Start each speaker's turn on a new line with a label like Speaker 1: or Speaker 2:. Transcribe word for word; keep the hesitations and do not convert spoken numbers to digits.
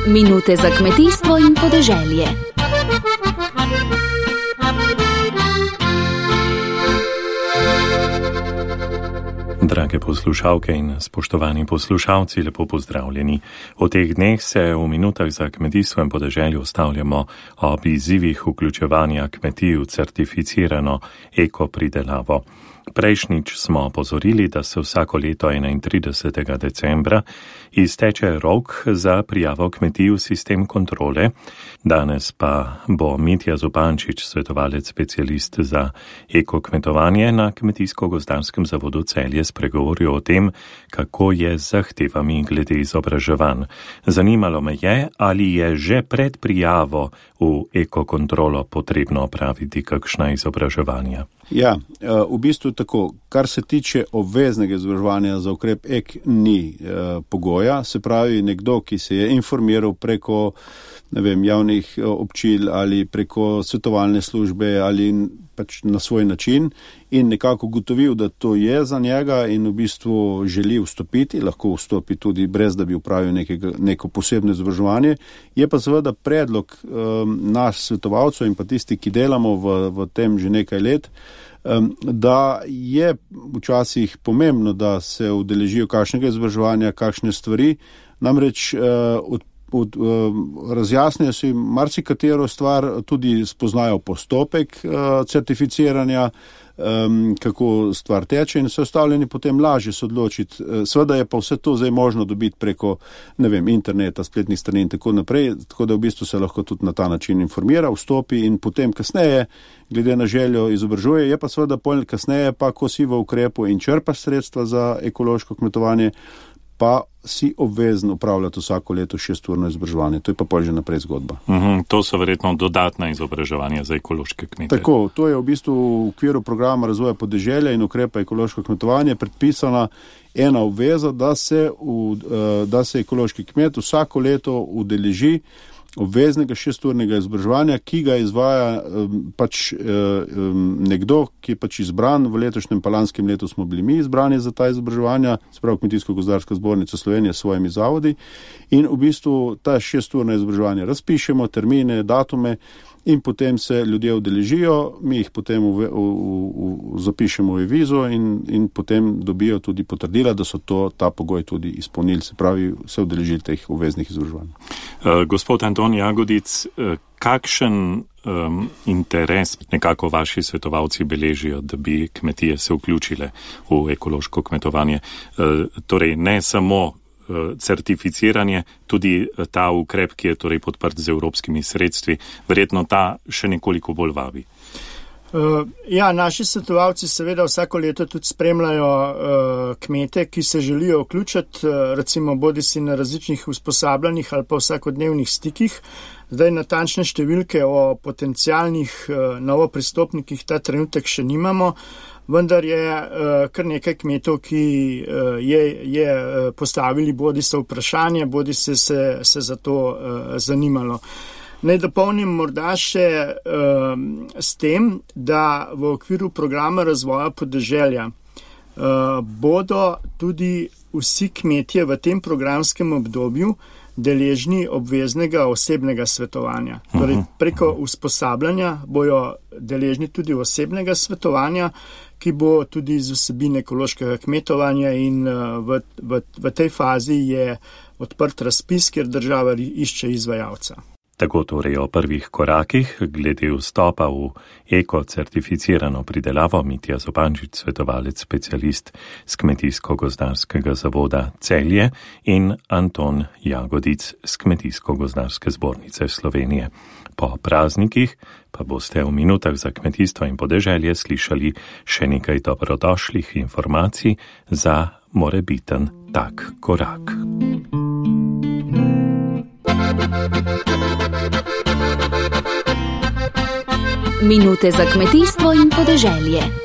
Speaker 1: Minute za kmetijstvo in podeželje.
Speaker 2: Drage poslušalke in spoštovani poslušalci, lepo pozdravljeni. V teh dneh se v minutah za kmetijstvo in podeželje ustavljamo ob izzivih vključevanja kmetij v certificirano ekopridelavo. Prejšnjič smo opozorili, da se vsako leto enaintridesetega decembra izteče rok za prijavo kmetij v sistem kontrole. Danes pa bo Mitja Zupančič, svetovalec specialist za ekokmetovanje na Kmetijsko-gozdarskem zavodu Celje, spregovoril o tem, kako je z zahtevami glede izobraževanj. Zanimalo me je, ali je že pred prijavo v ekokontrolo potrebno opraviti kakšna izobraževanja.
Speaker 3: Ja, v bistvu tako, kar se tiče obveznega izobraževanja za ukrep E K, ni eh, pogoja, se pravi nekdo, ki se je informiral preko ne vem, javnih občil ali preko svetovalne službe ali pač na svoj način in nekako ugotovil, da to je za njega in v bistvu želi vstopiti, lahko vstopi tudi brez, da bi upravil nekega, neko posebno izobraževanje. Je pa seveda predlog um, naš svetovalcev in pa tisti, ki delamo v, v tem že nekaj let, um, da je včasih pomembno, da se udeležijo kakšnega izobraževanja, kakšne stvari, namreč uh, od Od, uh, razjasnijo si marsikatero stvar, tudi spoznajo postopek uh, certificiranja, um, kako stvar teče in se ostavljeni potem lažje se odločiti. Uh, Sveda je pa vse to zdaj možno dobiti preko, ne vem, interneta, spletnih strani in tako naprej, tako da v bistvu se lahko tudi na ta način informira, vstopi in potem kasneje, glede na željo, izobražuje. Je pa seveda pol kasneje, pa ko si v ukrepu in črpaš sredstva za ekološko kmetovanje, pa si obvezen upravljati vsako leto šesturno izobraževanje. To je pa pol že naprej zgodba.
Speaker 2: Uhum, to so verjetno dodatna izobraževanja za ekološke kmete.
Speaker 3: Tako, to je v bistvu v okviru programa razvoja podeželja in ukrepa ekološko kmetovanje predpisana ena obveza, da se, v, da se ekološki kmet vsako leto udeleži obveznega šesturnega izobraževanja, ki ga izvaja um, pač um, nekdo, ki je pač izbran. V letošnjem pa lanskem letu smo bili mi izbrani za ta izobraževanja, sprav Kmetijsko-gozdarska zbornica Slovenije s svojimi zavodi in v bistvu ta šesturna izobraževanja razpišemo, termine, datume in potem se ljudje udeležijo, mi jih potem v, v, v, zapišemo v vizo in, in potem dobijo tudi potrdila, da so to, ta pogoj tudi izpolnili, se pravi se udeležili teh obveznih izobraževanj.
Speaker 2: Uh, gospod Anton Jagodic, uh, kakšen um, interes nekako vaši svetovalci beležijo, da bi kmetije se vključile v ekološko kmetovanje? Uh, torej ne samo certificiranje, tudi ta ukrep, ki je torej podprt z evropskimi sredstvi, verjetno ta še nekoliko bolj vabi.
Speaker 4: Uh, ja, naši svetovalci seveda vsako leto tudi spremljajo uh, kmete, ki se želijo vključiti, uh, recimo bodi si na različnih usposabljanjih ali pa vsakodnevnih stikih. Zdaj natančne številke o potencialnih uh, novopristopnikih ta trenutek še nimamo, vendar je uh, kar nekaj kmetov, ki uh, je, je uh, postavili bodi se vprašanje, bodi se, se, se za to uh, zanimalo. Naj dopolnim morda še uh, s tem, da v okviru programa razvoja podeželja uh, bodo tudi vsi kmetje v tem programskem obdobju deležni obveznega osebnega svetovanja. Torej, preko usposabljanja bojo deležni tudi osebnega svetovanja, ki bo tudi z vsebine ekološkega kmetovanja in v, v, v tej fazi je odprt razpis, kjer država išče izvajalca.
Speaker 2: Tako torej o prvih korakih glede vstopa v eko-certificirano pridelavo Mitja Zupančič, svetovalec specialist z Kmetijsko-gozdarskega zavoda Celje in Anton Jagodic z Kmetijsko-gozdarske zbornice Slovenije. Po praznikih pa boste v minutah za kmetijstvo in podeželje slišali še nekaj dobrodošlih informacij za morebiten tak korak.
Speaker 1: Minute za kmetijstvo in podeželje.